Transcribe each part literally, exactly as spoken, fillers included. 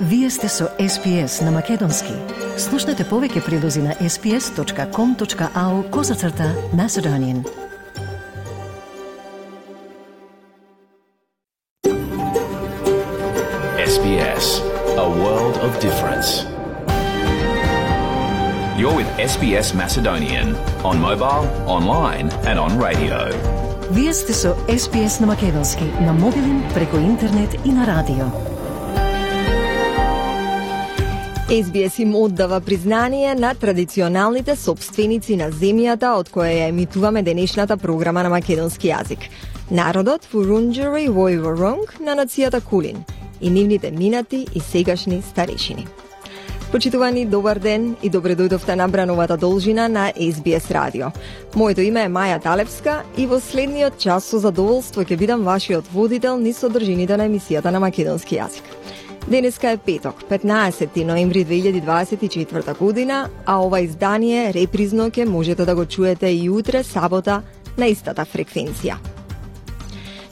Вие сте со Ес Би Ес на Македонски. Слушнете повеќе прилози на ес би ес точка ком точка ау козацрта Macedonian. Ес Би Ес, a world of difference. You're with Ес Би Ес Macedonian on mobile, online and on radio. Вие сте со Ес Би Ес на Македонски, на мобилен, преку интернет и на радио. Ес Би Ес им оддава признание на традиционалните собственици на земјата од која ја емитуваме денешната програма на македонски јазик. Народот Вурунџери Војворонг на нацијата Кулин и нивните минати и сегашни старешини. Почитувани, добар ден и добре дојдовте на брановата должина на Ес Би Ес радио. Моето име е Маја Талевска и во следниот час со задоволство ќе бидам вашиот водител низ содржините на емисијата на македонски јазик. Денеска е петок, петнаесети ноември две илјади дваесет и четврта година, а ова издание репризно ќе можете да го чуете и утре, сабота, на истата фреквенција.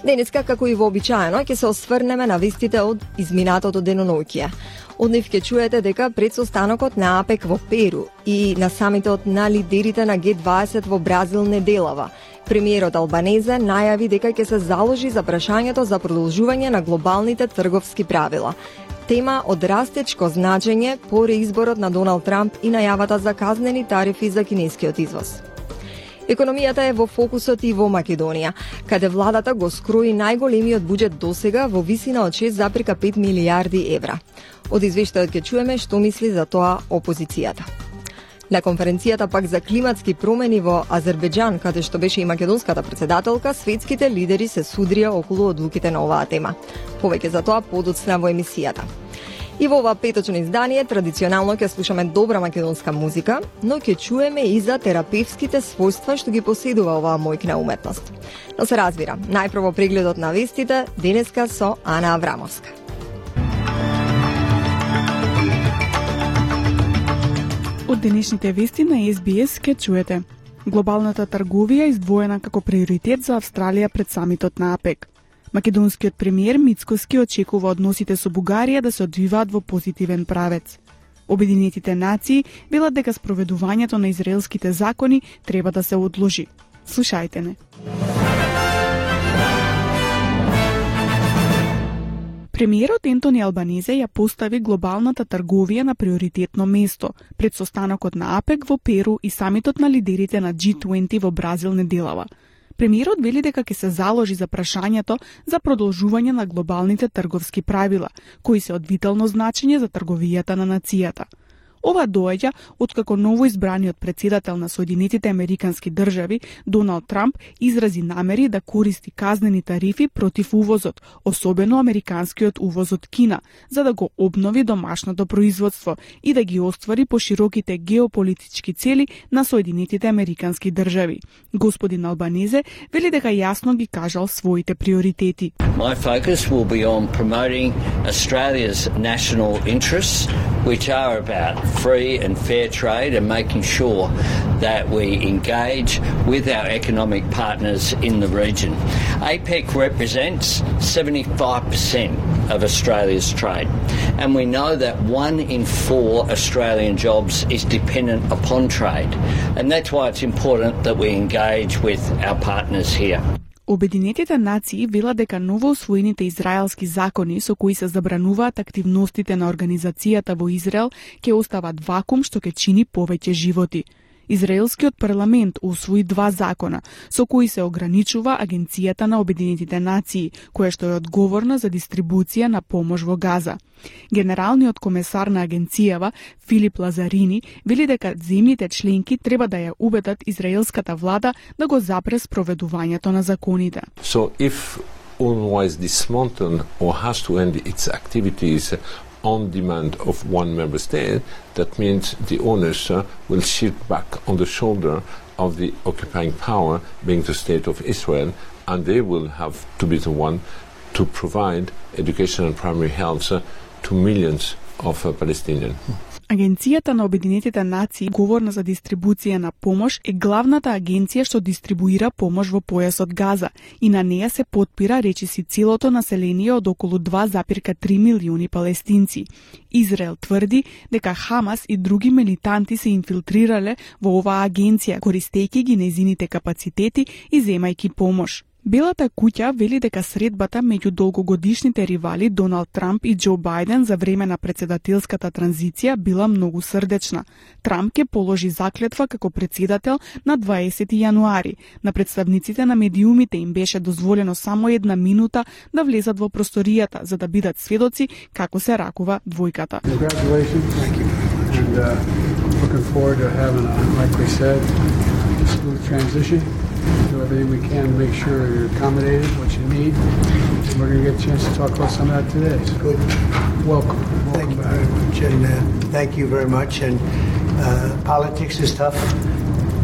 Денеска, како и вообичаено, ќе се осврнеме на вестите од изминатото деноноќие. Од нив ќе чуете дека пред состанокот на АПЕК во Перу и на самитот на лидерите на Ге дваесет во Бразил неделава, премиерот Албанезе најави дека ќе се заложи за прашањето за продолжување на глобалните трговски правила. Тема од растечко значење по реизборот на Доналд Трамп и најавата за казнени тарифи за кинескиот извоз. Економијата е во фокусот и во Македонија, каде владата го скрои најголемиот буџет досега во висина од шест зарез пет милијарди евра. Од извештајот ќе чуеме што мисли за тоа опозицијата. На конференцијата пак за климатски промени во Азербеџан, каде што беше и македонската председателка, светските лидери се судрија околу одлуките на оваа тема. Повеќе за тоа подоцна во емисијата. И во ова петочно издание традиционално ќе слушаме добра македонска музика, но ќе чуеме и за терапевските својства што ги поседува оваа мојкна уметност. Но се разбира, најпрво прегледот на вестите, денеска со Ана Аврамовска. Од денешните вести на Ес Би Ес ке чуете. Глобалната трговија издвоена како приоритет за Австралија пред самитот на АПЕК. Македонскиот премиер Мицкоски очекува односите со Бугарија да се одвиваат во позитивен правец. Обединетите нации велат дека спроведувањето на израелските закони треба да се одложи. Слушајте не. Премиерот Ентони Албанезе ја постави глобалната трговија на приоритетно место пред состанокот на АПЕК во Перу и самитот на лидерите на Джи дваесет во Бразил неделава. Премиерот вели дека ќе се заложи за прашањето за продолжување на глобалните трговски правила, кои се од витално значење за трговијата на нацијата. Ова доаѓа откако новоизбраниот председател на Соединетите Американски држави, Доналд Трамп, изрази намери да користи казнени тарифи против увозот, особено американскиот увоз од Кина, за да го обнови домашното производство и да ги оствари пошироките геополитички цели на Соединетите Американски држави. Господин Албанезе вели дека јасно ги кажал своите приоритети. My focus will be on promoting Australia's national interests, which are about free and fair trade and making sure that we engage with our economic partners in the region. APEC represents seventy-five percent of Australia's trade, and we know that one in four Australian jobs is dependent upon trade, and that's why it's important that we engage with our partners here. Обединетите нации велат дека новоусвоените израелски закони со кои се забрануваат активностите на организацијата во Израел ќе остават вакуум што ќе чини повеќе животи. Израелскиот парламент усвои два закона со кои се ограничува Агенцијата на Обединетите нации, која што е одговорна за дистрибуција на помош во Газа. Генералниот комесар на агенцијава, Филип Лазарини, вели дека земјите членки треба да ја убедат израелската влада да го запре спроведувањето на законите. So if UNRWA is dismantled or has to end its activities on demand of one member state, that means the owners uh, will shift back on the shoulder of the occupying power, being the state of Israel, and they will have to be the one to provide education and primary health uh, to millions of uh, Palestinians. Агенцијата на Обединетите нации, говорна за дистрибуција на помош, е главната агенција што дистрибуира помош во појасот Газа и на неја се потпира речиси целото население од околу два запирка три милиони палестинци. Израел тврди дека Хамас и други милитанти се инфилтрирале во оваа агенција, користејќи ги нејзините капацитети и земајќи помош. Белата куќа вели дека средбата меѓу долгогодишните ривали Доналд Трамп и Џо Бајден за време на председателската транзиција била многу срдечна. Трамп ќе положи заклетва како председател на дваесети јануари. На представниците на медиумите им беше дозволено само една минута да влезат во просторијата за да бидат сведоци како се ракува двојката. Do everything we can to make sure you're accommodated, what you need. And we're going to get a chance to talk about some of that today. So good. Welcome. Welcome thank you back. very much. And uh, thank you very much. And uh, politics is tough.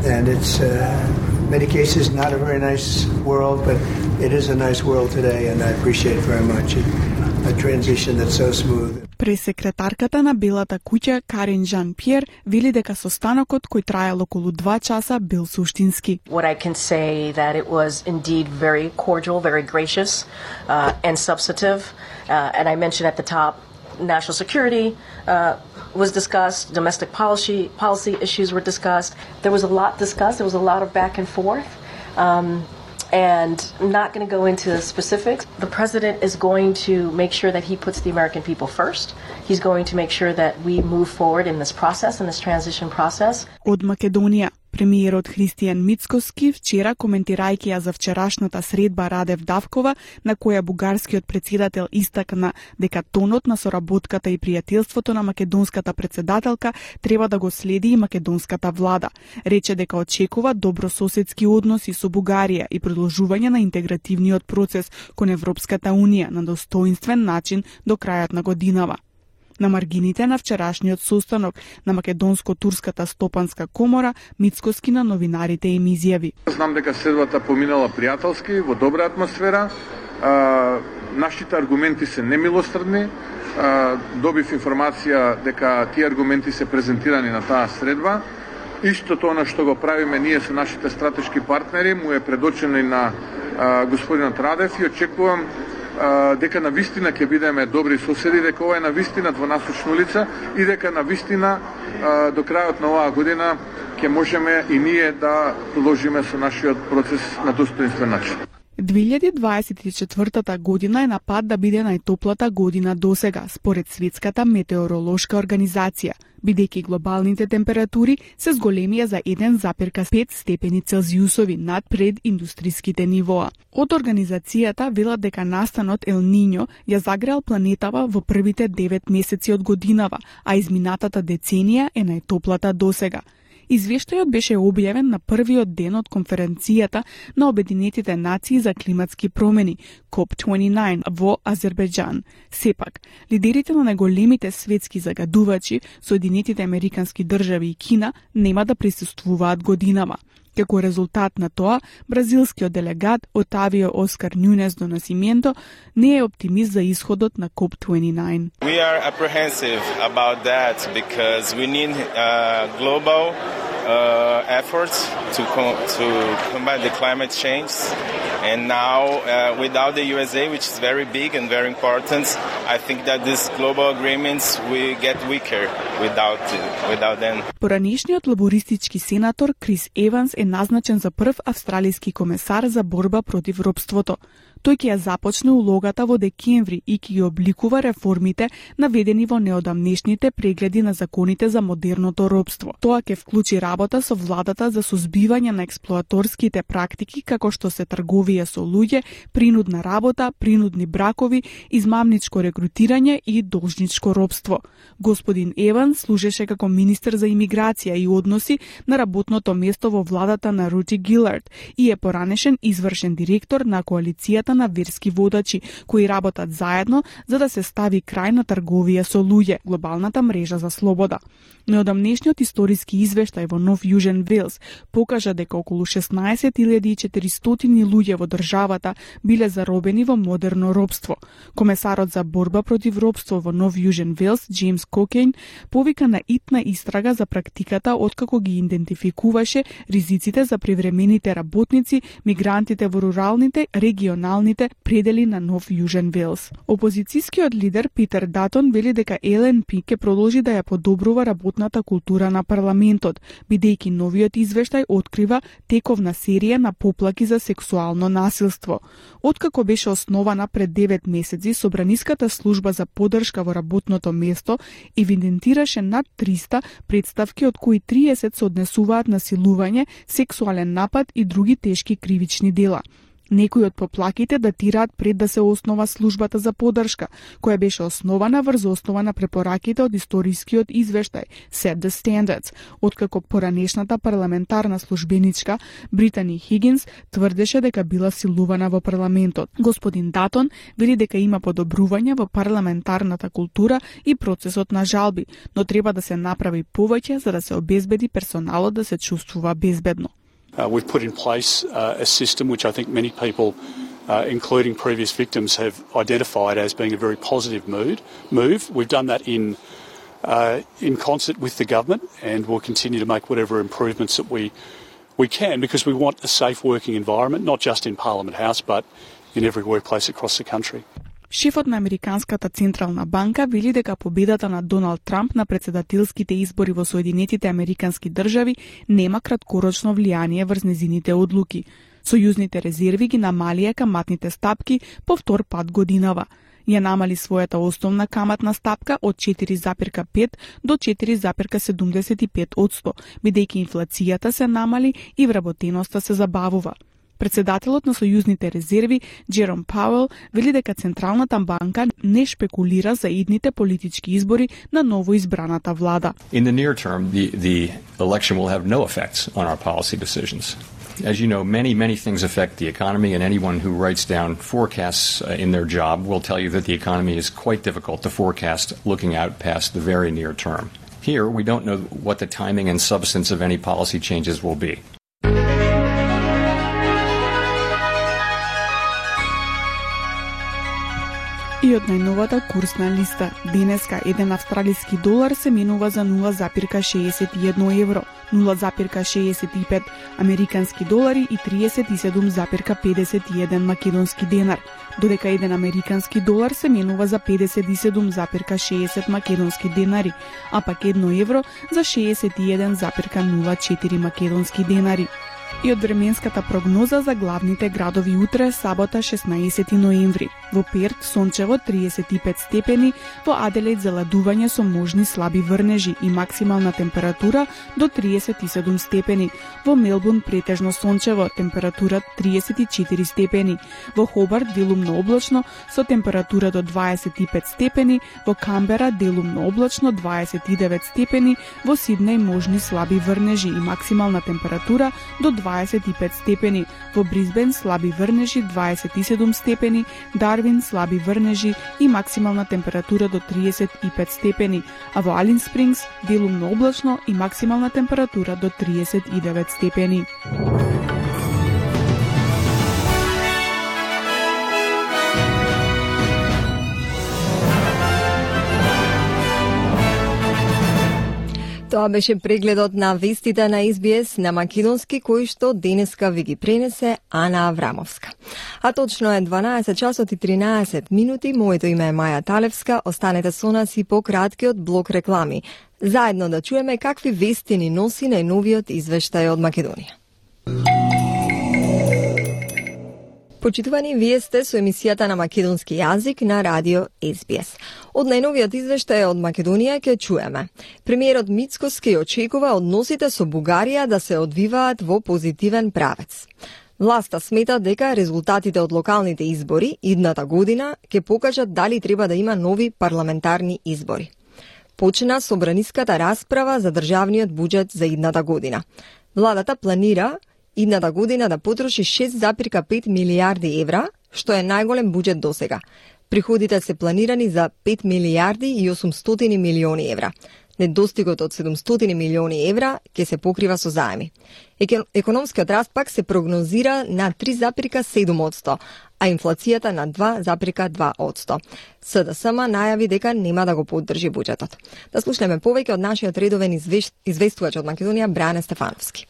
And it's, uh, in many cases, not a very nice world, but it is a nice world today. And I appreciate it very much. It, a transition that's so smooth. Пресекретарката на Белата куќа Карин Жан-Пьер вели дека состанокот кој траел околу два часа бил суштински. What I can say that it was indeed very cordial, very gracious uh, and substantive. Uh, and I mentioned at the top, national security uh, was discussed, domestic policy policy issues were discussed. There was a lot discussed. There was a lot of back and forth. Um, And I'm not going to go into specifics. The president is going to make sure that he puts the American people first. He's going to make sure that we move forward in this process, in this transition process. Од Македонија, премиерот Христијан Мицкоски вчера, коментирајќи ја за вчерашната средба Радев Давкова, на која бугарскиот председател истакна дека тонот на соработката и пријателството на македонската председателка треба да го следи и македонската влада. Рече дека очекува добрососедски односи со Бугарија и продолжување на интегративниот процес кон Европската унија на достоинствен начин до крајот на годинава. На маргините на вчерашниот состанок на Македонско-турската стопанска комора, Мицкоски на новинарите им изјави. Знам дека средбата поминала пријателски, во добра атмосфера. А, нашите аргументи се немилострдни. А, добив информација дека тие аргументи се презентирани на таа средба. Истото она што го правиме ние со нашите стратешки партнери му е предочено и на а, господинот Радев и очекувам дека на вистина ќе бидеме добри соседи, дека ова е на вистина двонасочна улица и дека на вистина до крајот на оваа година ќе можеме и ние да продолжиме со нашиот процес на достоинствен начин. две илјади дваесет и четвртата година е на пат да биде најтоплата година досега, според Светската метеоролошка организација, бидејќи глобалните температури се зголемија за еден запирка пет степени Целзиусови над прединдустриските нивоа. Од организацијата велат дека настанот Ел Нињо ја загреал планетава во првите девет месеци од годинава, а изминатата деценија е најтоплата досега. Извештајот беше објавен на првиот ден од конференцијата на Обединетите нации за климатски промени, коп дваесет и девет, во Азербејџан. Сепак, лидерите на најголемите светски загадувачи, Соединетите Американски држави и Кина, нема да присуствуваат годинава. Како резултат на тоа, бразилскиот делегат Отавио Оскар Нунес до Насименто не е оптимист за исходот на коп дваесет и девет. We are apprehensive about that because we need uh, global uh, efforts to co- to combat the climate change. And now, uh, without the U S A, which is very big and very important, I think that these global agreements will get weaker without without them. Поранешниот лабористички сенатор Крис Еванс е назначен за прв австралиски комесар за борба против робството. Тој ќе ја започне улогата во декември и ќе ги обликува реформите наведени во неодамнешните прегледи на законите за модерното робство. Тоа ќе вклучи работа со владата за сузбивање на експлоаторските практики како што се трговија со луѓе, принудна работа, принудни бракови, измамничко рекрутирање и должничко робство. Господин Еван служеше како министер за имиграција и односи на работното место во владата на Рути Гилард и е поранешен извршен директор на коалицијата работа на верски водачи кои работат заедно за да се стави крај на трговија со луѓе, глобалната мрежа за слобода. Неодамнешниот историски извештај во Нов Јужен Велс покажа дека околу шеснаесет илјади и четиристотини луѓе во државата биле заробени во модерно робство. Комесарот за борба против робство во Нов Јужен Велс, Джеймс Кокейн, повика на итна истрага за практиката откако ги идентификуваше ризиците за привремените работници, мигрантите во руралните, регионалните предели на Нов Јужен Велс. Опозицијскиот лидер Питер Датон вели дека Ел Ен Пи ќе продолжи да ја подобрува работната култура на парламентот, бидејќи новиот извештај открива тековна серија на поплаки за сексуално насилство. Откако беше основана пред девет месеци, Собраниската служба за поддршка во работното место евидентираше над триста представки, од кои триесет се однесуваат на силување, сексуален напад и други тешки кривични дела. Некои од поплаките датираат пред да се основа службата за поддршка, која беше основана врз основа на препораките од историскиот извештај Set the Standards, откако поранешната парламентарна службеничка Британи Хигинс тврдеше дека била силувана во парламентот. Господин Датон вели дека има подобрување во парламентарната култура и процесот на жалби, но треба да се направи повеќе за да се обезбеди персоналот да се чувствува безбедно. Uh, we've put in place uh, a system which I think many people, uh, including previous victims, have identified as being a very positive mood, move. We've done that in uh, in concert with the government, and we'll continue to make whatever improvements that we we can, because we want a safe working environment, not just in Parliament House, but in every workplace across the country. Шефот на Американската централна банка вели дека победата на Доналд Трамп на председателските избори во Соединетите Американски држави нема краткорочно влијание врз незините одлуки. Сојузните резерви ги намалија каматните стапки по втор пат годинава. Ја намали својата основна каматна стапка од четири запирка пет до четири запирка седумдесет и пет одсто, бидејќи инфлацијата се намали и вработеноста се забавува. Председателот на Сојузните резерви, Джером Пауел, вели дека Централната банка не шпекулира за идните политички избори на новоизбраната влада. In the near term, the, the election will have no effects on our policy decisions. As you know, many, many things affect the economy, and anyone who writes down forecasts uh, in their job will tell you that the economy is quite difficult to forecast looking out past the very near term. Here, we don't know what the timing and substance of any policy changes will be. И од најновата курсна листа, денеска еден австралиски долар се менува за нула запирка шеесет и едно евро, нула запирка шеесет и пет американски долари и триесет и седум запирка педесет и еден македонски денар, додека еден американски долар се менува за педесет и седум запирка шеесет македонски денари, а пак едно евро за шеесет и еден запирка нула четири македонски денари. И од временската прогноза за главните градови утре, сабота шеснаесети ноември. Во Перт сончево триесет и пет степени, во Аделаид заладување со можни слаби врнежи и максимална температура до триесет и седум степени. Во Мелбурн претежно сончево, температура триесет и четири степени. Во Хобарт делумно облачно со температура до дваесет и пет степени, во Камбера делумно облачно дваесет и девет степени, во Сиднеј можни слаби врнежи и максимална температура до дваесет и пет степени, во Брисбен слаби врнежи дваесет и седум степени, Дарвин слаби врнежи и максимална температура до триесет и пет степени, а во Алин Спрингс делумно облачно и максимална температура до триесет и девет степени. Тоа беше прегледот на вестите на Ес Би Ес на македонски, кој што денеска ви ги пренесе Ана Аврамовска. А точно е дванаесет часот и тринаесет минути. Моето име е Маја Талевска. Останете со нас и по краткиот блок реклами. Заедно да чуеме какви вести ни носи најновиот извештај од Македонија. Почитувани, вие сте со емисијата на македонски јазик на радио Ес Би Ес. Од најновиот извештај од Македонија ќе чуеме. Премиерот Мицкоски очекува односите со Бугарија да се одвиваат во позитивен правец. Власта смета дека резултатите од локалните избори идната година ќе покажат дали треба да има нови парламентарни избори. Почна собраниската расправа за државниот буџет за идната година. Владата планира идната година да потроши шест зарез пет милијарди евра, што е најголем буџет досега. Приходите се планирани за пет милијарди и осумстотини милиони евра. Недостигот од седумстотини милиони евра ќе се покрива со заеми. Економскиот раст пак се прогнозира на три зарез седум одсто, а инфлацијата на два зарез два одсто. СДСМ најави дека нема да го поддржи буџетот. Да слушнеме повеќе од нашиот редовен извеш... известувач од Македонија Бране Стефановски.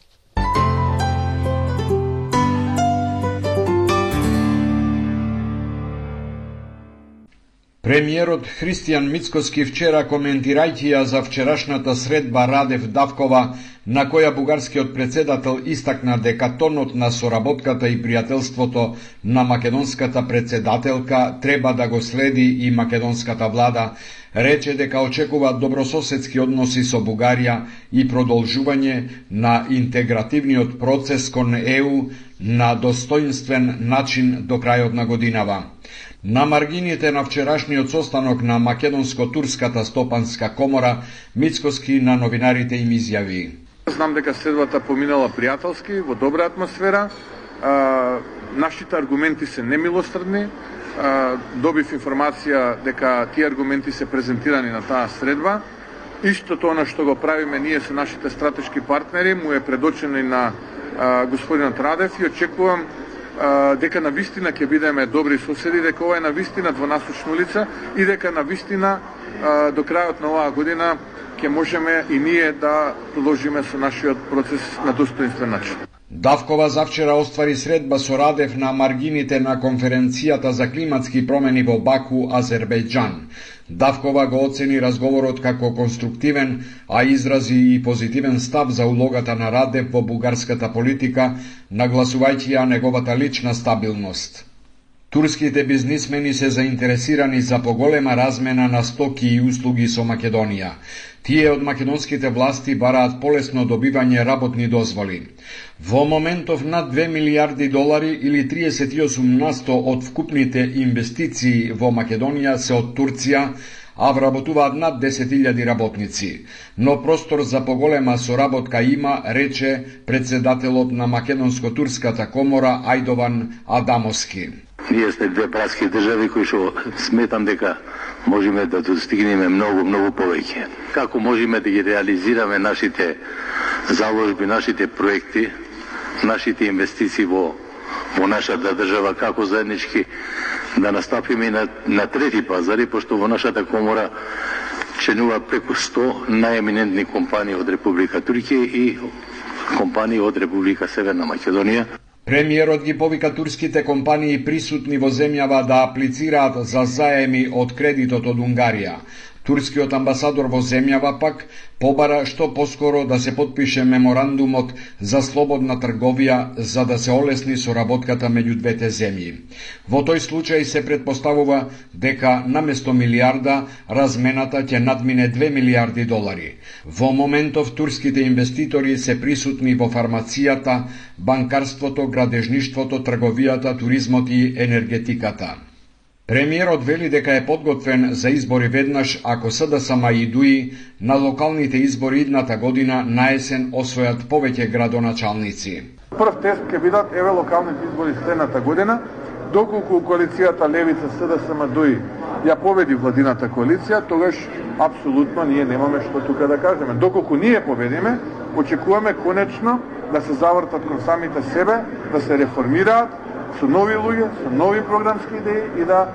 Премиерот Христијан Мицкоски вчера, коментирајќи ја за вчерашната средба Радев-Давкова, на која бугарскиот председател истакна дека тонот на соработката и пријателството на македонската председателка треба да го следи и македонската влада, рече дека очекува добрососедски односи со Бугарија и продолжување на интегративниот процес кон Е У на достоинствен начин до крајот на годинава. На маргините на вчерашниот состанок на Македонско-турската стопанска комора, Мицкоски на новинарите им изјави: Знам дека следвата поминала пријателски, во добра атмосфера. А, нашите аргументи се немилострдни. А, добив информација дека тие аргументи се презентирани на таа средба. Истото она што го правиме ние со нашите стратешки партнери му е предочено и на а, господинот Радев и очекувам а, дека на вистина ќе бидеме добри соседи, дека ова е на вистина двонасочна улица и дека на вистина а, до крајот на оваа година ќе можеме и ние да продолжиме со нашиот процес на достоинствен начин. Давкова завчера оствари средба со Радев на маргините на конференцијата за климатски промени во Баку, Азербејџан. Давкова го оцени разговорот како конструктивен, а изрази и позитивен став за улогата на Радев во бугарската политика, нагласувајќи ја неговата лична стабилност. Турските бизнисмени се заинтересирани за поголема размена на стоки и услуги со Македонија. Тие од македонските власти бараат полесно добивање работни дозволи. Во моментов над две милијарди долари или триесет и осум насто од вкупните инвестиции во Македонија се од Турција, а вработуваат над десет илјади работници. Но простор за поголема соработка има, рече председателот на Македонско-турската комора Ајдован Адамовски. Ние сме две братски држави кои што сметам дека можеме да достигнеме многу, многу повеќе. Како можеме да ги реализираме нашите заложби, нашите проекти, нашите инвестиции во, во нашата држава, како заеднички да настапиме и на, на трети пазари, пошто во нашата комора членува преку сто најеминентни компании од Република Турција и компании од Република Северна Македонија. Премиерот ги повика турските компании присутни во земјава да аплицираат за заеми од кредитот од Унгарија. Турскиот амбасадор во земјава пак побара што поскоро да се потпише меморандумот за слободна трговија за да се олесни соработката меѓу двете земји. Во тој случај се претпоставува дека наместо милијарда размената ќе надмине две милијарди долари. Во моментов турските инвеститори се присутни во фармацијата, банкарството, градежништвото, трговијата, туризмот и енергетиката. Премиерот вели дека е подготвен за избори веднаш ако СДСМ и ДУИ на локалните избори идната година на есен освојат повеќе градоначалници. Прв тест ќе бидат еве локалните избори следната година, доколку коалицијата Левица СДСМ ДУИ ја победи владината коалиција, тогаш апсолутно ние немаме што тука да кажеме. Доколку ние победиме, очекуваме конечно да се завртат кон самите себе, да се реформираат со нови луѓе, со нови програмски идеи и да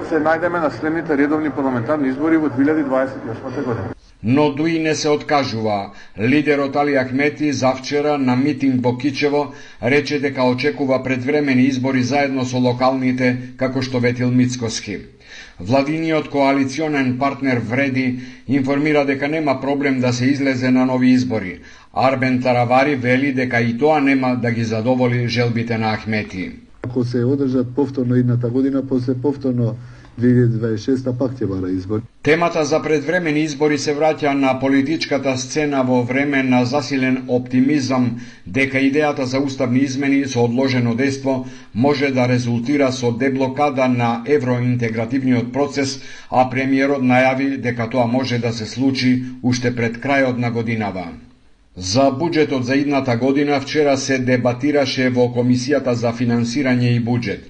се најдеме на следните редовни парламентарни избори во две илјади дваесет и осма година. Но ДУИ не се откажува. Лидерот Али Ахмети завчера на митинг во Кичево рече дека очекува предвремени избори заедно со локалните, како што ветил Мицкоски. Владиниот коалиционен партнер Вреди информира дека нема проблем да се излезе на нови избори. Арбен Таравари вели дека и тоа нема да ги задоволи желбите на Ахмети. Ако се одржат повторно идната година, после повторно две илјади дваесет и шеста пак ќе бара избори. Темата за предвремени избори се враќа на политичката сцена во време на засилен оптимизам дека идејата за уставни измени со одложено дејство може да резултира со деблокада на евроинтегративниот процес, а премиерот најави дека тоа може да се случи уште пред крајот на годинава. За буџетот за идната година вчера се дебатираше во Комисијата за финансирање и буџет.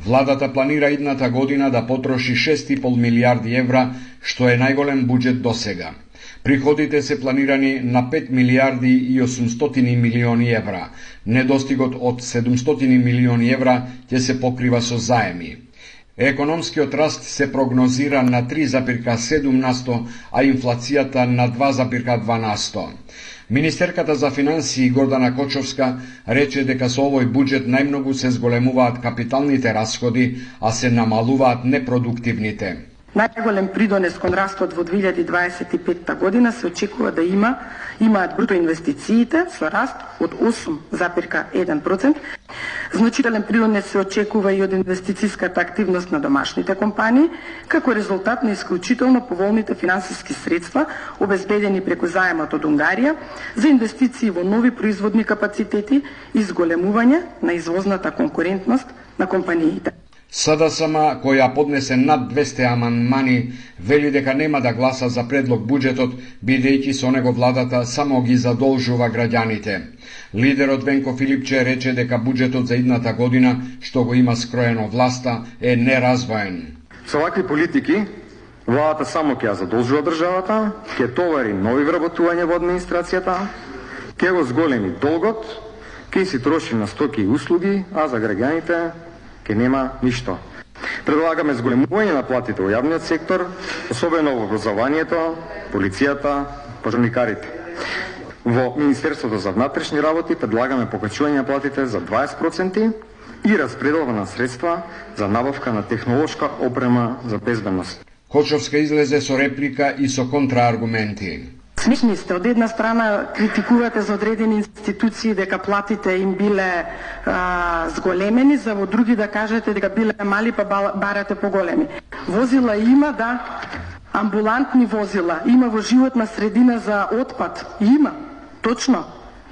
Владата планира идната година да потроши шест и пол милијарди евра, што е најголем буџет досега. Приходите се планирани на пет милијарди и осумстотини милиони евра. Недостигот од седумстотини милиони евра ќе се покрива со заеми. Економскиот раст се прогнозира на три запирка седум насто, а инфлацијата на два запирка два насто. Министерката за финансии Гордана Кочовска рече дека со овој буџет најмногу се зголемуваат капиталните расходи, а се намалуваат непродуктивните. Најголем придонес кон растот во две илјади дваесет и петта година се очекува да има имаат бруто инвестициите со раст од осум запирка еден процент. Значителен придонес се очекува и од инвестициската активност на домашните компании, како резултат на исклучително поволните финансиски средства обезбедени преку заемот од Унгарија за инвестиции во нови производни капацитети и зголемување на извозната конкурентност на компаниите. СДСМ, која поднесе над двесте амандмани, вели дека нема да гласа за предлог буџетот, бидејќи со него владата само ги задолжува граѓаните. Лидерот Венко Филипче рече дека буџетот за идната година, што го има скроено власта, е неразвоен. Со вакви политики, владата само ќе ја задолжува државата, ќе товари нови вработувања во администрацијата, ќе го зголеми долгот, ќе си троши на стоки и услуги, а за граѓаните ке нема ништо. Предлагаме зголемување на платите во јавниот сектор, особено во образованието, полицијата, пожарникарите. Во Министерството за внатрешни работи предлагаме покачување на платите за дваесет проценти и распределба на средства за набавка на технолошка опрема за безбедност. Кочовска излезе со реплика и со контрааргументи. Смешни сте, од една страна критикувате за одредени институции дека платите им биле а, зголемени, за во други да кажете дека биле мали па барате поголеми. Возила има, да, амбулантни возила, има во животна средина за отпад, има, точно.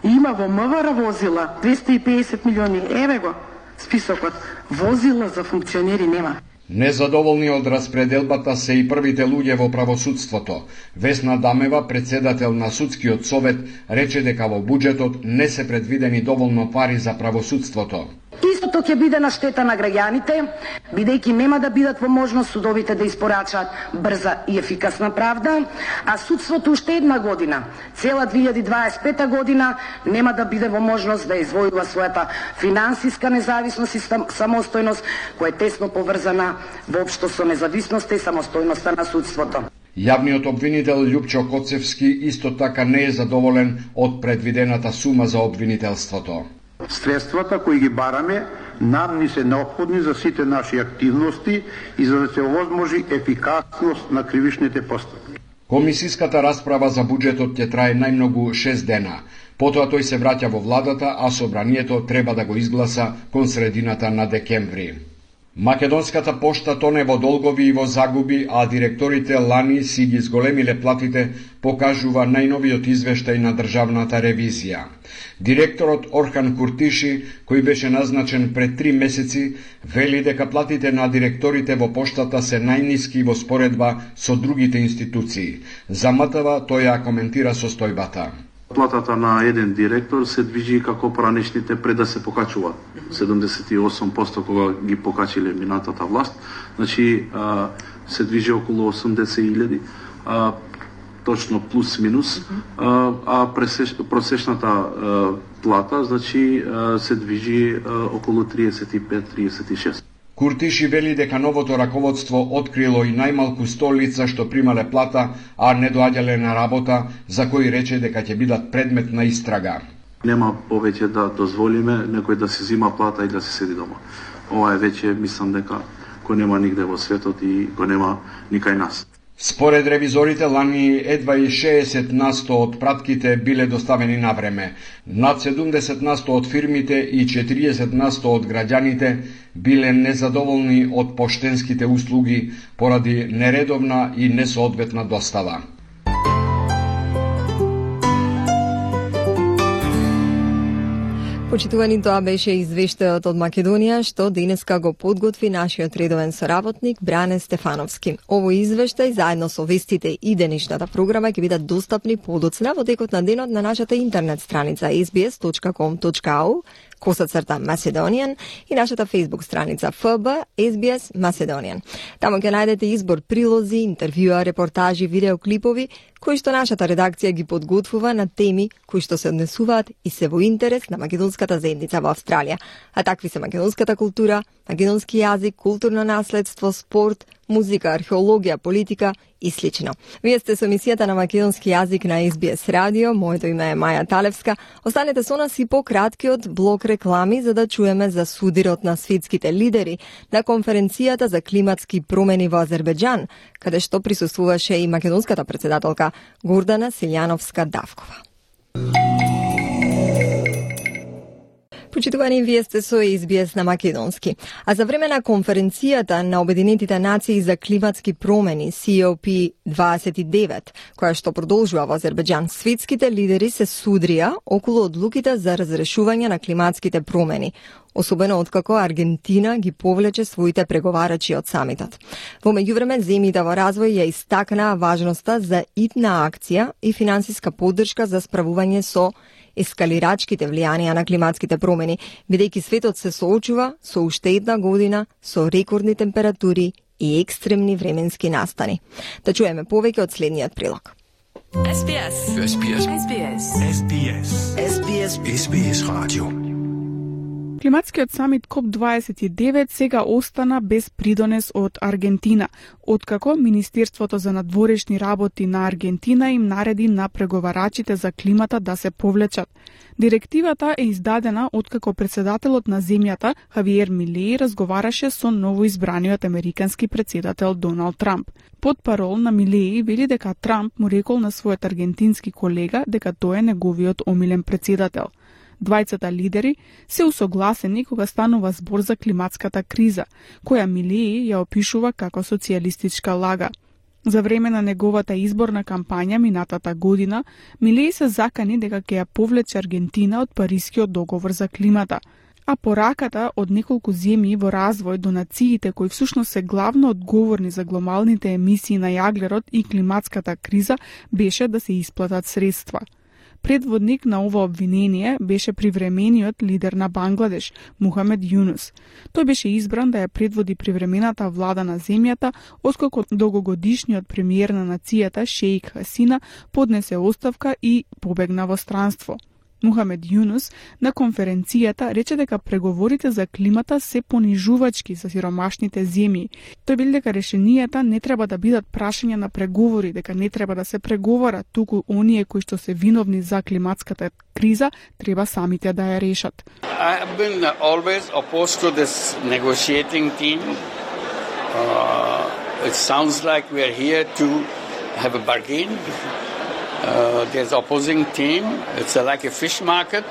Има во МВР возила, двесте и педесет милиони, еве го списокот. Возила за функционери нема. Незадоволни од распределбата се и првите луѓе во правосудството. Весна Дамева, председател на Судскиот совет, рече дека во буџетот не се предвидени доволно пари за правосудството. Истото ќе биде на штета на граѓаните, бидејќи нема да бидат во можност судовите да испорачаат брза и ефикасна правда, а судството уште една година, цела две илјади дваесет и пета година, нема да биде во можност да извојува својата финансиска независност и самостојност, која е тесно поврзана воопшто со независноста и самостојноста на судството. Јавниот обвинител Љупчо Коцевски исто така не е задоволен од предвидената сума за обвинителството. Средствата кои ги бараме нам ни се необходни за сите наши активности и за да се овозможи ефикасност на кривичните постапки. Комисиската расправа за буџетот ќе трае најмногу шест дена. Потоа тој се враќа во владата, а собранието треба да го изгласа кон средината на декември. Македонската пошта тоне во долгови и во загуби, а директорите лани си ги зголемиле платите, покажува најновиот извештај на државната ревизија. Директорот Орхан Куртиши, кој беше назначен пред три месеци, вели дека платите на директорите во поштата се најниски во споредба со другите институции. За МТВ тој ја коментира состојбата. Платата на еден директор се движи како поранешните пред да се покачува. седумдесет и осум проценти кога ги покачиле минатата власт, значи а, се движи околу осумдесет илјади, а, точно плюс минус, а, а пресеш, просечната а, плата значи а, се движи а, околу триесет и пет до триесет и шест. Куртиши вели дека новото раководство открило и најмалку сто лица што примале плата, а не доаѓале на работа, за кои рече дека ќе бидат предмет на истрага. Нема повеќе да дозволиме некој да се зима плата и да се седи дома. Ова е веќе, мислам дека кој нема нигде во светот и кој нема никај нас. Според ревизорите, лани едва и шеесет насто од пратките биле доставени на време. Над седумдесет насто од фирмите и четириесет насто од граѓаните биле незадоволни од поштенските услуги поради нередовна и несоодветна достава. Почитувани, тоа беше извештајот од Македонија, што денеска го подготви нашиот редовен соработник Бране Стефановски. Овој извештај, заедно со вестите и денешната програма, ќе бидат достапни подоцна во текот на денот на нашата интернет страница ес би ес точка ком точка ау, косацрта Macedonian и нашата Facebook страница еф би ес би ес Macedonian. Таму ќе најдете избор прилози, интервјуа, репортажи, видеоклипови, кои што нашата редакција ги подготвува на теми кои што се однесуваат и се во интерес на македонската заедница во Австралија. А такви се македонската култура, македонски јазик, културно наследство, спорт, музика, археологија, политика и слично. Вие сте со емисијата на македонски јазик на ес би ес Радио. Моето име е Маја Талевска. Останете со нас и по краткиот блок реклами за да чуеме за судирот на светските лидери на конференцијата за климатски промени во Азербеџан, каде што присуствуваше и македонската председателка Гордана Силјановска-Давкова. Почитувани, вие сте со ес би ес на македонски. А за време на конференцијата на Обединетите нации за климатски промени си о пи дваесет и девет, која што продолжува во Азербеџан, светските лидери се судрија околу одлуките за разрешување на климатските промени, особено откако Аргентина ги повлече своите преговарачи од самитот. Во меѓувреме, земјите во развој ја истакнаа важноста за итна акција и финансиска поддршка за справување со ескалирачките влијанија на климатските промени, бидејќи светот се соочува со уште една година со рекордни температури и екстремни временски настани. Да чуеме повеќе од следниот прилог. ес би ес. ес би ес. ес би ес. ес би ес. ес би ес. ес би ес радио. Климатскиот самит коп дваесет и девет сега остана без придонес од Аргентина, откако Министерството за надворешни работи на Аргентина им нареди на преговарачите за климата да се повлечат. Директивата е издадена откако председателот на земјата Хавиер Милеј разговараше со новоизбраниот американски председател Доналд Трамп. Под парол на Милеј вели дека Трамп му рекол на својот аргентински колега дека тој е неговиот омилен председател. Двајцата лидери се усогласени кога станува збор за климатската криза, која Милеј ја опишува како социјалистичка лага. За време на неговата изборна кампања минатата година, Милеј се закани дека ќе ја повлече Аргентина од Парискиот договор за климата, а пораката од неколку земји во развој до нациите кои всушност се главно одговорни за глобалните емисии на јаглерод и климатската криза беше да се исплатат средства. Предводник на ова обвинение беше привремениот лидер на Бангладеш, Мухамед Јунус. Тој беше избран да ја предводи привремената влада на земјата, откако долгогодишниот премиер на нацијата Шеик Хасина поднесе оставка и побегна во странство. Мухамед Јунус на конференцијата рече дека преговорите за климата се понижувачки за сиромашните земји. Тој вели дека решенијата не треба да бидат прашање на преговори, дека не треба да се преговара, туку оние кои што се виновни за климатската криза треба самите да ја решат. I have been always opposed to this negotiating team. Uh, it sounds like we are here to have a bargain. Uh, there's opposing team. It's a, like a fish market.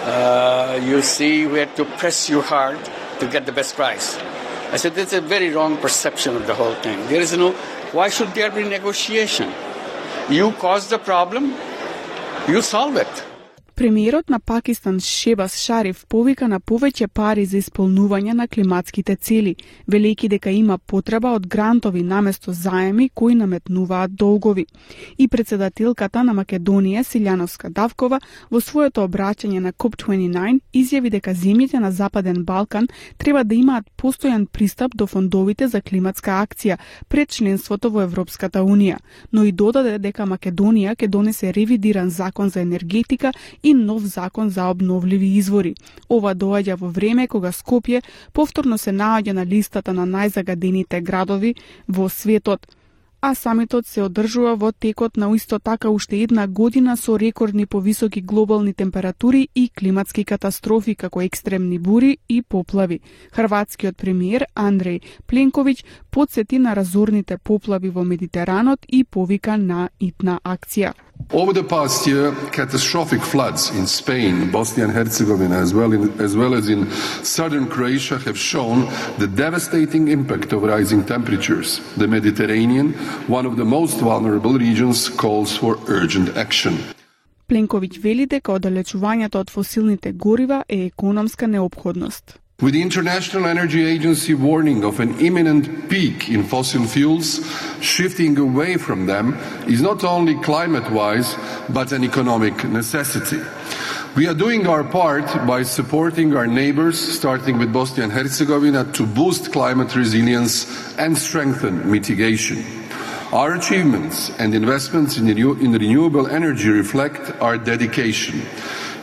Uh, you see where to press you hard to get the best price. I said, that's a very wrong perception of the whole thing. There is no, why should there be negotiation? You cause the problem, you solve it. Премиерот на Пакистан Шебас Шариф повика на повеќе пари за исполнување на климатските цели, велејќи дека има потреба од грантови наместо заеми кои наметнуваат долгови. И председателката на Македонија Силјановска-Давкова во своето обраќање на коп дваесет и девет изјави дека земјите на Западен Балкан треба да имаат постојан пристап до фондовите за климатска акција пред членството во Европската Унија, но и додаде дека Македонија ќе донесе ревидиран закон за енергетика и нов закон за обновливи извори. Ова доаѓа во време кога Скопје повторно се наоѓа на листата на најзагадените градови во светот, а самитот се одржува во текот на исто така уште една година со рекордни повисоки глобални температури и климатски катастрофи како екстремни бури и поплави. Хрватскиот премиер Андреј Пленковиќ потсети на разорните поплави во Медитеранот и повика на итна акција. Over the past year, catastrophic floods in Spain, Bosnia and Herzegovina, as well, in, as well as in southern Croatia, have shown the devastating impact of rising temperatures. The Mediterranean, one of the most vulnerable regions, calls for urgent action. Пленковиќ вели дека оддалечувањето од фосилните горива е економска неопходност. With the International Energy Agency warning of an imminent peak in fossil fuels, shifting away from them is not only climate-wise, but an economic necessity. We are doing our part by supporting our neighbors, starting with Bosnia and Herzegovina, to boost climate resilience and strengthen mitigation. Our achievements and investments in, renew- in renewable energy reflect our dedication.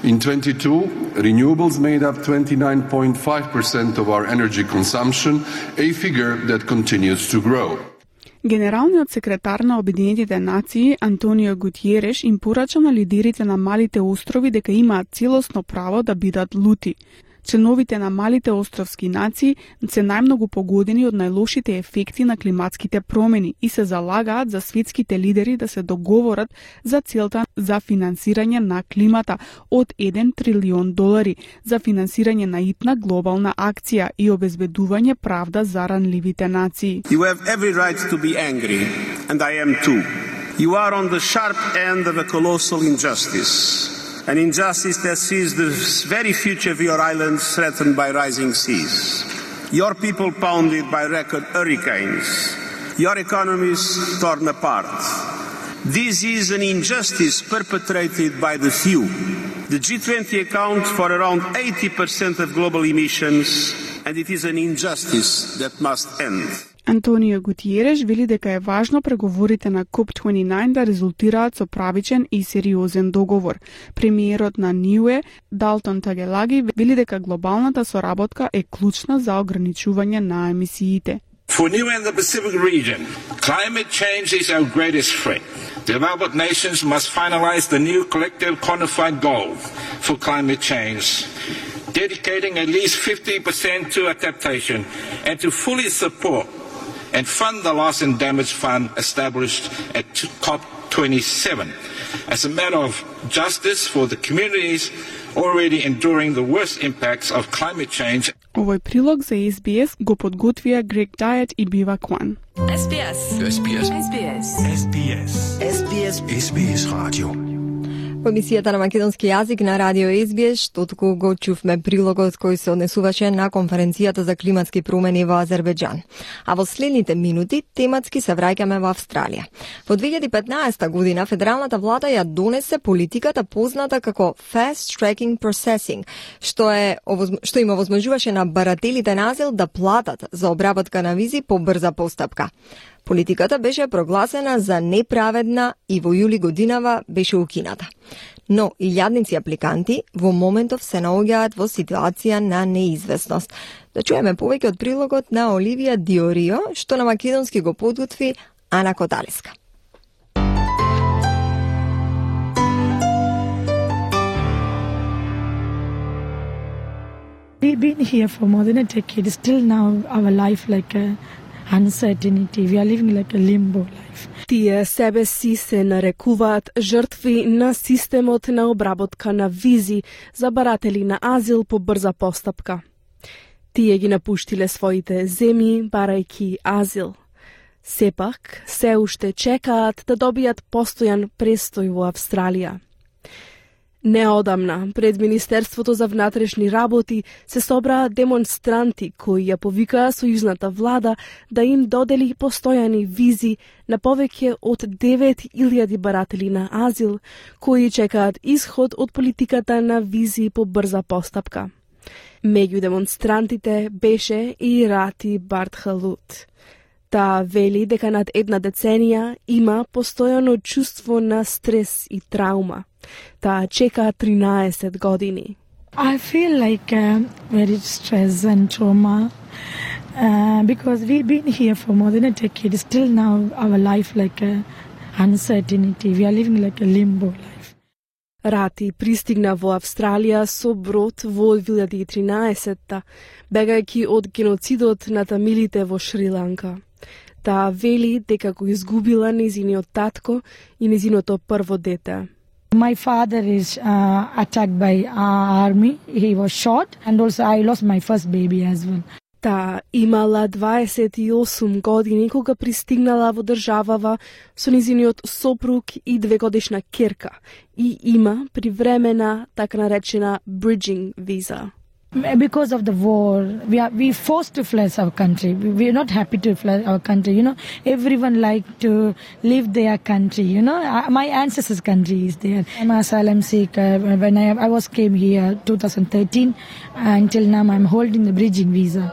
In twenty-two, renewables made up twenty-nine point five percent of our energy consumption, a figure that continues to grow. Генералниот секретар на Обединетите нации Антонио Гутиереш им порача на лидерите на малите острови дека имаат целосно право да бидат лути. Членовите на малите островски нации се најмногу погодени од најлошите ефекти на климатските промени и се залагаат за светските лидери да се договорат за целта за финансирање на климата од еден трилион долари, за финансирање на итна глобална акција и обезбедување правда за ранливите нации. You have every right to be angry, and I am too. You are on the sharp end of a colossal injustice. An injustice that sees the very future of your islands threatened by rising seas. Your people pounded by record hurricanes. Your economies torn apart. This is an injustice perpetrated by the few. The G twenty accounts for around eighty percent of global emissions, and it is an injustice that must end. Антонио Гутиереш вели дека е важно преговорите на коп дваесет и девет да резултираат со правичен и сериозен договор. Премиерот на НИУЕ, Далтон Тагелаги, вели дека глобалната соработка е клучна за ограничување на емисиите. For Niue and the Pacific region, climate change is our greatest threat. Developed nations must finalize the new collective quantified goal for climate change, dedicating at least fifty percent to adaptation and to fully support and fund the Loss and Damage Fund established at COP twenty-seven as a matter of justice for the communities already enduring the worst impacts of climate change. Овој прилог за Ес Би Ес го подготвија Грег Дајет и Бива Кван. Ес Би Ес. Ес Би Ес. Ес Би Ес. Ес Би Ес. Ес Би Ес. Ес Би Ес радио. Во емисијата на македонски јазик на радио Ес Би Ес, што току го чувме прилогот кој се однесуваше на конференцијата за климатски промени во Азербејџан. А во следните минути тематски се враќаме во Австралија. Во две илјади и петнаесета година федералната влада ја донесе политиката позната како Fast Tracking Processing, што е што им овозможуваше на барателите на азил да платат за обработка на визи по брза постапка. Политиката беше прогласена за неправедна и во јули годинава беше укината. Но илјадници апликанти во моментов се наоѓаат во ситуација на неизвестност. Да чуеме повеќе од прилогот на Оливија Диорио, што на македонски го подготви Ана Коталеска. We've been here for more than a decade. Still now our life like a uncertainty. We are living like a limbo life. Тие себе си се нарекуваат жртви на системот на обработка на визи за баратели на азил по брза постапка. Тие ги напуштиле своите земји барајки азил. Сепак, се уште чекаат да добијат постојан престој во Австралија. Неодамна, пред Министерството за внатрешни работи се собраа демонстранти кои ја повикаа сојузната влада да им додели постојани визи на повеќе од девет илјади баратели на азил кои чекаат исход од политиката на визи по брза постапка. Меѓу демонстрантите беше и Рати Бартхалут. Таа вели дека над една деценија има постојано чувство на стрес и траума. Таа чека тринаесет години. I feel like uh, very stress and trauma uh, because we've been here for more than a decade. Still now our life like a uncertainty. We are living like a limbo life. Рати пристигна во Австралија со брод во две илјади и тринаесетта, бегајќи од геноцидот на тамилите во Шри-Ланка. Таа вели дека го изгубила незиниот татко и незиното прво дете. My father is uh, attacked by uh, army. He was shot, and also I lost my first baby as well. Таа имала дваесет и осум години кога пристигнала во државава со низиниот сопруг и двегодишна керка и има привремена, така наречена bridging visa. Because of the war, we are we forced to flee our country. We are not happy to flee our country. You know, everyone like to leave their country. You know, my ancestors' country is there. I'm asylum seeker. When I I was came here twenty thirteen, until now I'm holding the bridging visa.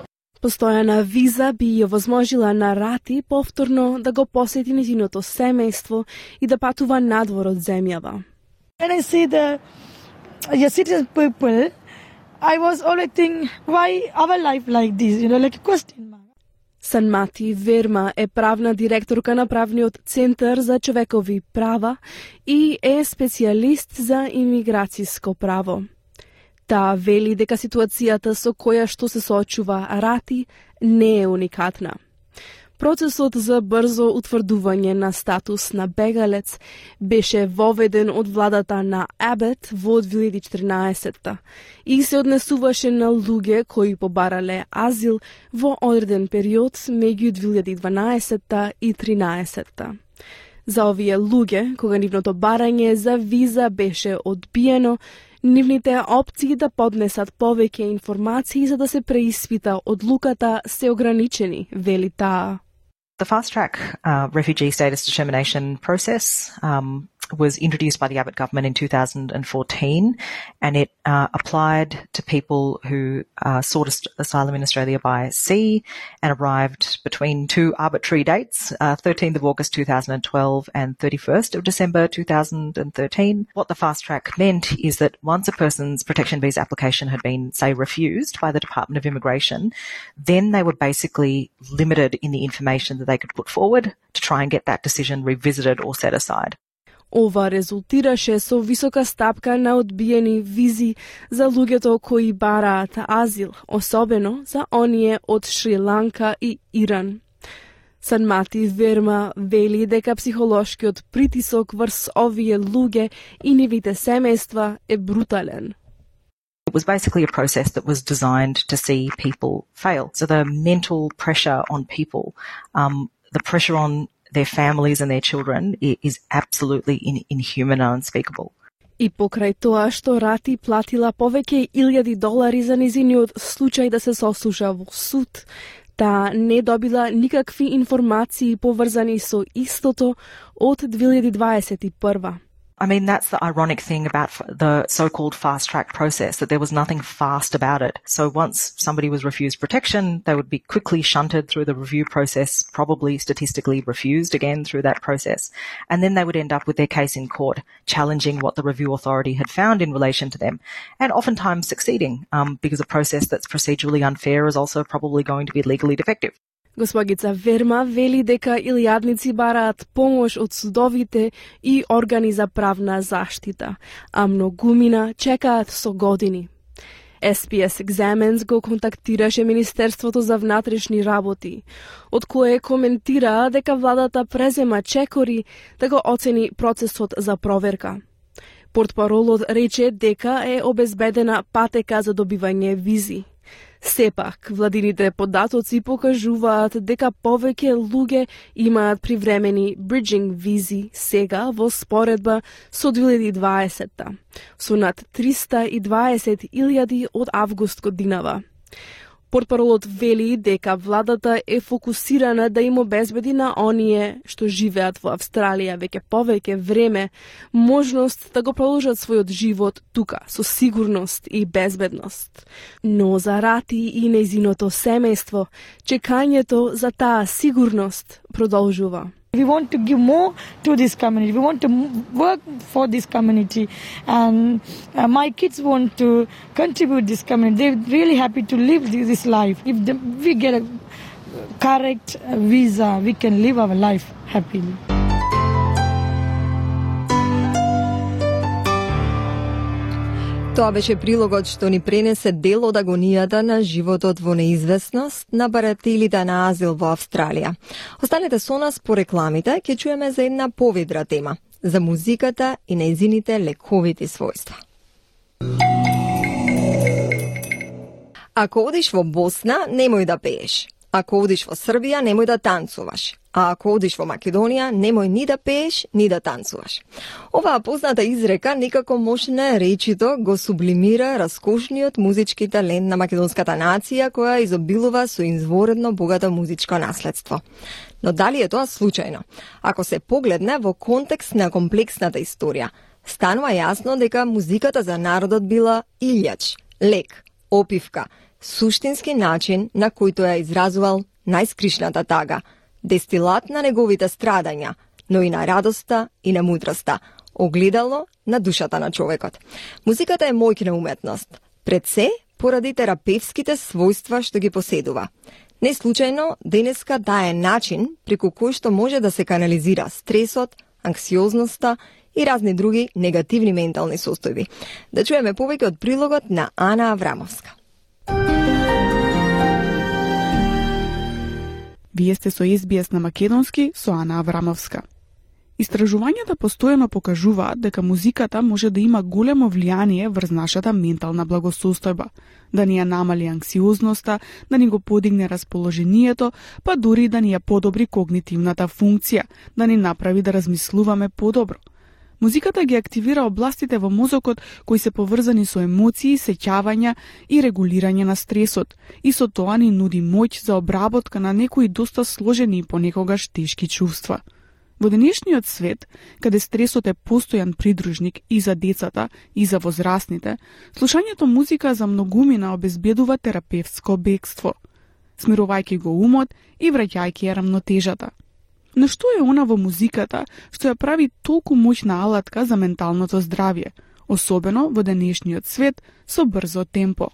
Постојана виза би ја возможила на Рати повторно да го посети низиното семејство и да патува надвор од земјава. When I see the your citizen people, I was always thinking, why our life like this? You know, like a question mark. Санмати Верма е правна директорка на правниот центар за човекови права и е специјалист за имиграцијско право. Таа вели дека ситуацијата со која што се соочува Рати не е уникатна. Процесот за брзо утврдување на статус на бегалец беше воведен од владата на Абет во две илјади и четрнаесетта и се однесуваше на луѓе кои побарале азил во одреден период меѓу две илјади и дванаесетта и тринаесетта. За овие луѓе, кога нивното барање за виза беше одбиено, нивните опции да поднесат повеќе информации за да се преиспита одлуката се ограничени, вели таа. The fast-track uh, refugee status determination process um, was introduced by the Abbott government in two thousand fourteen, and it uh, applied to people who uh, sought asylum in Australia by sea and arrived between two arbitrary dates, uh, thirteenth of August two thousand twelve and thirty-first of December two thousand thirteen. What the fast-track meant is that once a person's protection visa application had been, say, refused by the Department of Immigration, then they were basically limited in the information that they could put forward to try and get that decision revisited or set aside. Ова резултираше со висока стапка на одбиени визи за луѓето кои бараат азил, особено за оние од Шри-Ланка и Иран. Санмати Верма вели дека психолошкиот притисок врз овие луѓе и нивните семејства е брутален. It was basically a process that was designed to see people fail. So the mental pressure on people, um, the pressure on their families and their children is absolutely in, inhuman and unspeakable. И покрај тоа што Рати платила повеќе илјади долари за низиниот случај да се сослуша во суд, таа не добила никакви информации поврзани со истото од две илјади дваесет и прва. I mean, that's the ironic thing about the so-called fast-track process, that there was nothing fast about it. So once somebody was refused protection, they would be quickly shunted through the review process, probably statistically refused again through that process. And then they would end up with their case in court, challenging what the review authority had found in relation to them, and oftentimes succeeding, um, because a process that's procedurally unfair is also probably going to be legally defective. Господица Верма вели дека илјадници бараат помош од судовите и органи за правна заштита, а многумина чекаат со години. Ес Пи Ес Examines го контактираше Министерството за внатрешни работи, од кое коментираа дека владата презема чекори да го оцени процесот за проверка. Портпаролот рече дека е обезбедена патека за добивање визи. Сепак, владините податоци покажуваат дека повеќе луѓе имаат привремени bridging визи сега во споредба со две илјади и дваесетта, со над триста и дваесет илјади од август годинава. Портпаролот вели дека владата е фокусирана да им обезбеди на оние што живеат во Австралија веќе повеќе време можност да го продолжат својот живот тука со сигурност и безбедност. Но за Рати и нејзиното семејство чекањето за таа сигурност продолжува. We want to give more to this community. We want to work for this community. And uh, my kids want to contribute this community. They're really happy to live this life. If the, we get a correct visa, we can live our life happily. Тоа беше прилогот што ни пренесе дел од агонијата на животот во неизвестност на барателите на азил во Австралија. Останете со нас по рекламите, ќе чуеме за една поведра тема, за музиката и нејзините лековити својства. Ако одиш во Босна, немој да пееш. Ако одиш во Србија, немој да танцуваш. А ако одиш во Македонија, немој ни да пееш, ни да танцуваш. Оваа позната изрека некако можне речито го сублимира раскошниот музички талент на македонската нација, која изобилува со изворедно богато музичко наследство. Но дали е тоа случајно? Ако се погледне во контекст на комплексната историја, станува јасно дека музиката за народот била илјач, лек, опивка, суштински начин на којто ја изразувал најскришната тага, дестилат на неговите страдања, но и на радоста и на мудроста, огледало на душата на човекот. Музиката е моќна уметност, пред се поради терапевските својства што ги поседува. Не случајно, денеска таа е начин преку кој што може да се канализира стресот, анксиозноста и разни други негативни ментални состојби. Да чуеме повеќе од прилогот на Ана Аврамовска. Вие сте со Ес Би Ес на македонски со Ана Аврамовска. Истражувањата постојано покажуваат дека музиката може да има големо влијание врз нашата ментална благосостојба, да ни ја намали анксиозноста, да ни го подигне расположението, па дури да ни ја подобри когнитивната функција, да ни направи да размислуваме подобро. Музиката ги активира областите во мозокот кои се поврзани со емоции, сеќавања и регулирање на стресот, и со тоа ни нуди моќ за обработка на некои доста сложени и понекогаш тешки чувства. Во денешниот свет, каде стресот е постојан придружник и за децата, и за возрастните, слушањето музика за многумина обезбедува терапевско бегство, смирувајќи го умот и враќајќи ја рамнотежата. Но што е она во музиката што ја прави толку моќна алатка за менталното здравје, особено во денешниот свет со брзо темпо?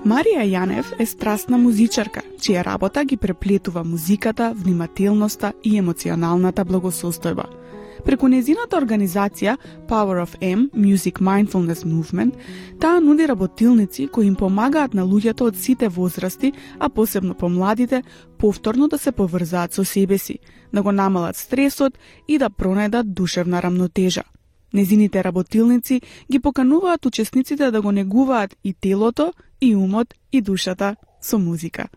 Марија Јанев е страстна музичарка, чија работа ги преплетува музиката, внимателноста и емоционалната благосостојба. Преку незината организација Power of M, Music Mindfulness Movement, таа нуди работилници кои им помагаат на луѓето од сите возрасти, а посебно помладите, повторно да се поврзаат со себе си, да го намалат стресот и да пронајдат душевна рамнотежа. Незините работилници ги покануваат учесниците да го негуваат и телото, и умот, и душата со музика.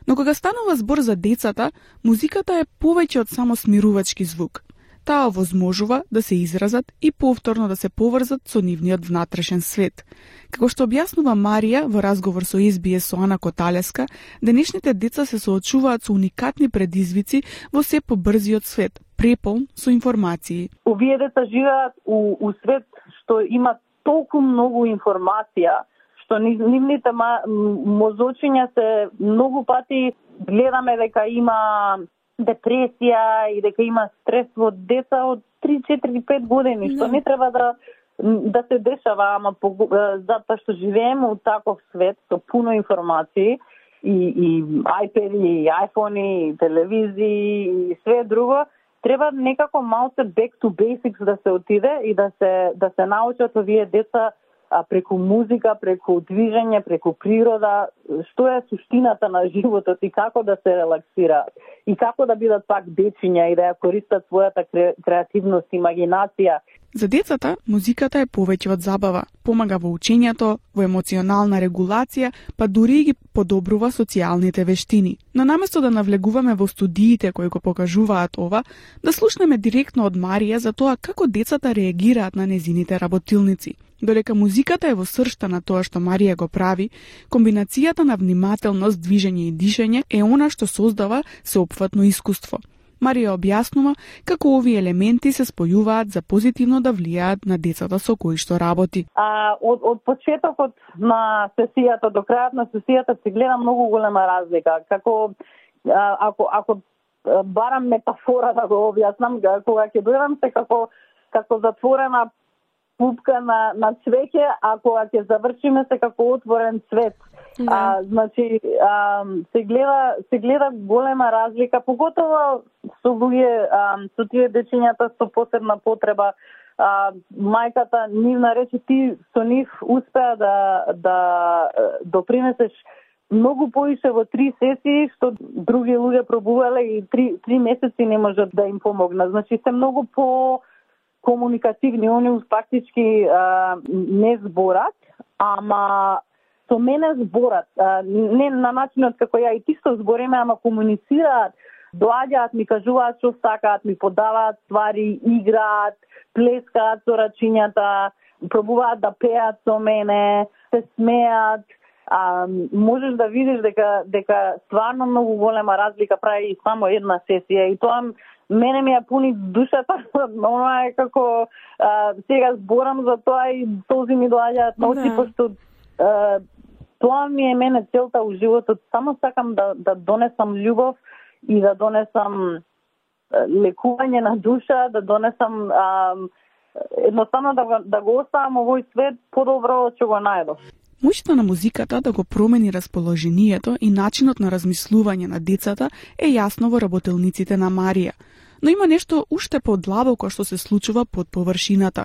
Но кога станува збор за децата, музиката е повеќе од само смирувачки звук. Таа овозможува да се изразат и повторно да се поврзат со нивниот внатрешен свет. Како што објаснува Марија во разговор со Ес Би Ес со Ана Коталеска, денешните деца се соочуваат со уникатни предизвици во се побрзиот свет, преполн со информации. Овие деца живеат у, у свет што има толку многу информација, што нивните мозочиња се многу пати гледаме дека има депресија и дека има стрес во деца од три, четири, пет години, што не треба да да се дешава, ама по, затоа што живееме у таков свет со пуно информации и, и iPad-и, и iPhone-и, и телевизии и све друго, треба некако малце back to basics да се отиде и да се да се научат овие деца а, преку музика, преку движење, преку природа, што е суштината на животот и како да се релаксираат и како да бидат пак дечиња и да ја користат својата кре, креативност и имагинација. За децата, музиката е повеќе од забава, помага во учењето, во емоционална регулација, па дури и ги подобрува социјалните вештини. Но наместо да навлегуваме во студиите кои го покажуваат ова, да слушнеме директно од Марија за тоа како децата реагираат на незините работилници. Додека музиката е во сршта на тоа што Марија го прави, комбинацијата на внимателност, движење и дишење е она што создава сеопфатно искуство. Марија објаснува како овие елементи се спојуваат за позитивно да влијаат на децата со кои што работи. А, од, од почетокот на сесијата до крајот на сесијата се гледа многу голема разлика. Како а, ако ако барам метафора да го објаснам, кога ќе дојдам се како како затворена пупка на на цвеќе, а кога ќе завршиме се како отворен цвет. Да. А, значи, а, се гледа се гледа голема разлика, поготово со луѓе, со тие дечињата со посебна потреба, а, мајката нивна рече ти со нив успеа да да допринесеш многу поише во три сесии што други луѓе пробувале и три три месеци не можат да им помогнат. Значи се многу по комуникативни, они фактички а, не зборат, ама со мене зборат. А, не на начинот како ја и ти што збориме, ама комуницираат, доаѓаат, ми кажуваат што сакаат, ми подаваат ствари, играат, плескаат со рачињата, пробуваат да пеат со мене, се смеат. А, можеш да видиш дека дека стварно многу голема разлика прави само една сесија и тоа мене ми ја пуни душата, она е како а, сега зборам за тоа и този ми доаѓаат на очи, пошто а, тоа ми е мене целта у животот. Само сакам да, да донесам љубов и да донесам лекување на душа, да донесам а, едноставно да, да го оставам овој свет подобро од што го најдов. Моќта на музиката да го промени расположението и начинот на размислување на децата е јасно во работелниците на Марија. Но има нешто уште подлабоко што се случува под површината.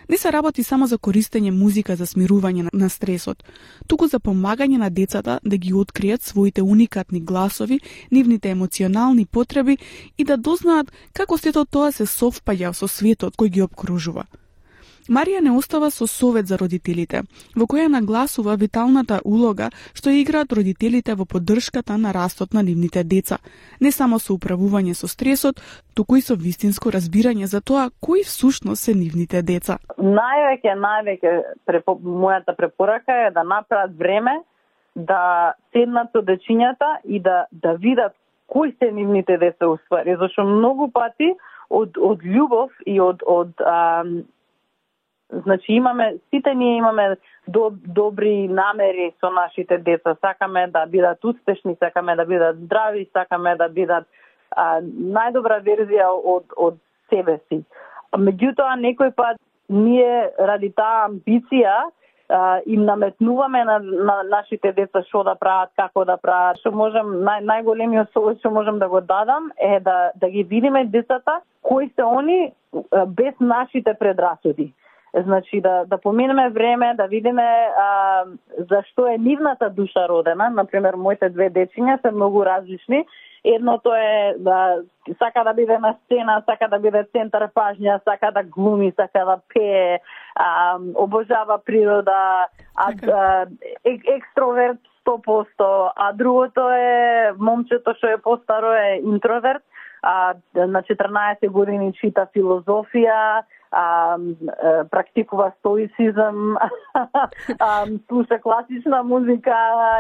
Не се работи само за користење музика за смирување на стресот, туку за помагање на децата да ги откријат своите уникатни гласови, нивните емоционални потреби и да дознаат како сето тоа се совпаѓа со светот кој ги обкружува. Марија не остава со совет за родителите, во која нагласува виталната улога што играат родителите во поддршката на растот на нивните деца, не само со управување со стресот, туку и со вистинско разбирање за тоа кои всушност се нивните деца. Највеќе, највеќе препо, мојата препорака е да направат време да седнат со дечињата и да да видат кои се нивните деца уствари, зашто многу пати од од љубов и од од ам, значи имаме, сите ние имаме доб, добри намери со нашите деца. Сакаме да бидат успешни, сакаме да бидат здрави, сакаме да бидат а, најдобра верзија од, од себе си. Меѓутоа, некој пат ние ради таа амбиција а, им наметнуваме на, на нашите деца што да прават, како да прават. Што можем, нај, најголемиот совет што можем да го дадам е да, да ги видиме децата кои се они а, без нашите предрасуди. Значи да да поминеме време, да видиме а, зашто е нивната душа родена. Например, моите две дечиња се многу различни. Едното е да сака да биде на сцена, сака да биде центар пажња, сака да глуми, сака да пее, а, обожава природа, а, а, ек, екстроверт сто посто, а другото е момчето што е постаро е интроверт, а на четрнаесет години чита филозофија, А, а, практикува стоицизм, а, слуша класична музика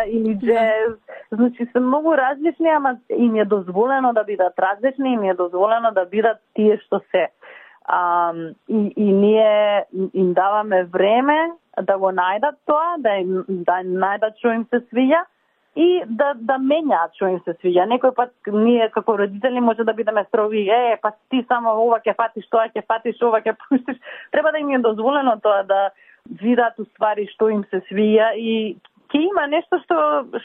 или джез. Значи се многу различни, ама им е дозволено да бидат различни, им е дозволено да бидат тие што се. А, и, и ние им даваме време да го најдат тоа, да, им, да најдат што им се свиѓа и да да менјаат што им се свиѓа. Некој пат ние како родители може да бидеме строги, е, па ти само ова ќе фатиш, тоа ќе фатиш, ова ќе пуштиш. Треба да им е дозволено тоа да видат уствари што им се свиѓа и ќе има нешто што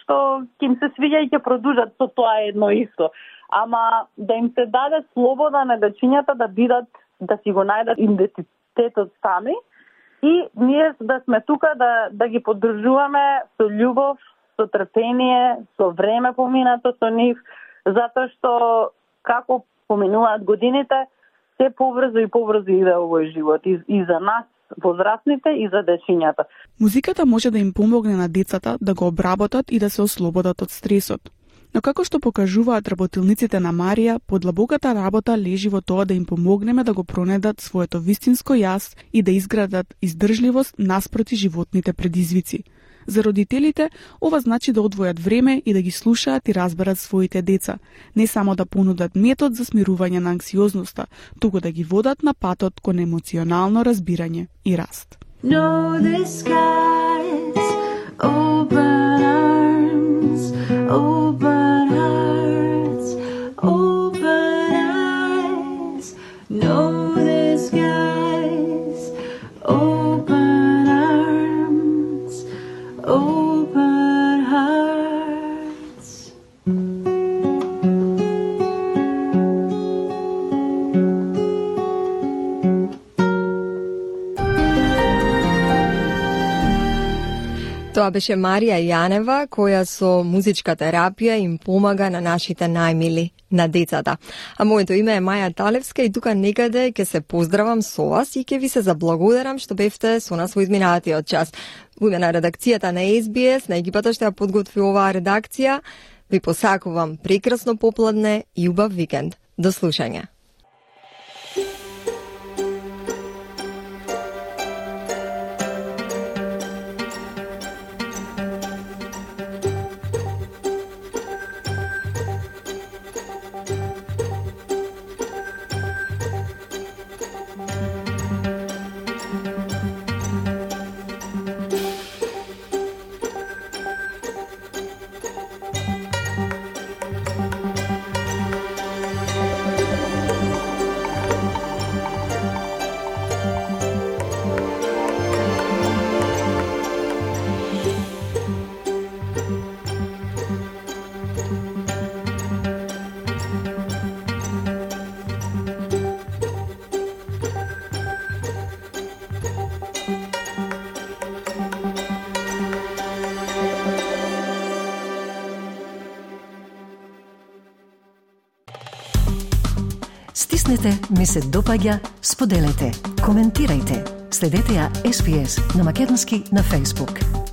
што ќе им се свиѓа и ќе продолжат со тоа едно исто. Ама да им се даде слобода на дечињата да бидат, да си го најдат идентитетот сами и ние да сме тука да да ги поддржуваме со љубов, со трпение, со време поминато со нив, затоа што како поминуваат годините, се побрзо и побрзо иде овој живот и, и за нас, возрастните, и за дечињата. Музиката може да им помогне на децата да го обработат и да се ослободат од стресот. Но како што покажуваат работилниците на Марија, подлабоката работа лежи во тоа да им помогнеме да го пронедат своето вистинско јас и да изградат издржливост наспроти животните предизвици. За родителите, ова значи да одвојат време и да ги слушаат и разберат своите деца, не само да понудат метод за смирување на анксиозноста, туку да ги водат на патот кон емоционално разбирање и раст. Know the skies, open arms, open hearts, open eyes. Know the skies, open arms, open hearts. Тоа беше Марија Јанева, која со музичка терапија им помага на нашите најмили, на децата. А моето име е Маја Талевска и тука некаде ќе се поздравам со вас и ќе ви се заблагодарам што бевте со нас во изминатиот час. Во име на редакцијата на Ес Би Ес, на екипата што ја подготви оваа редакција, ви посакувам прекрасно попладне и убав викенд. До слушање. Стиснете, ми се допаѓа, споделете, коментирајте. Следете ја Ес Би Ес на македонски на Facebook.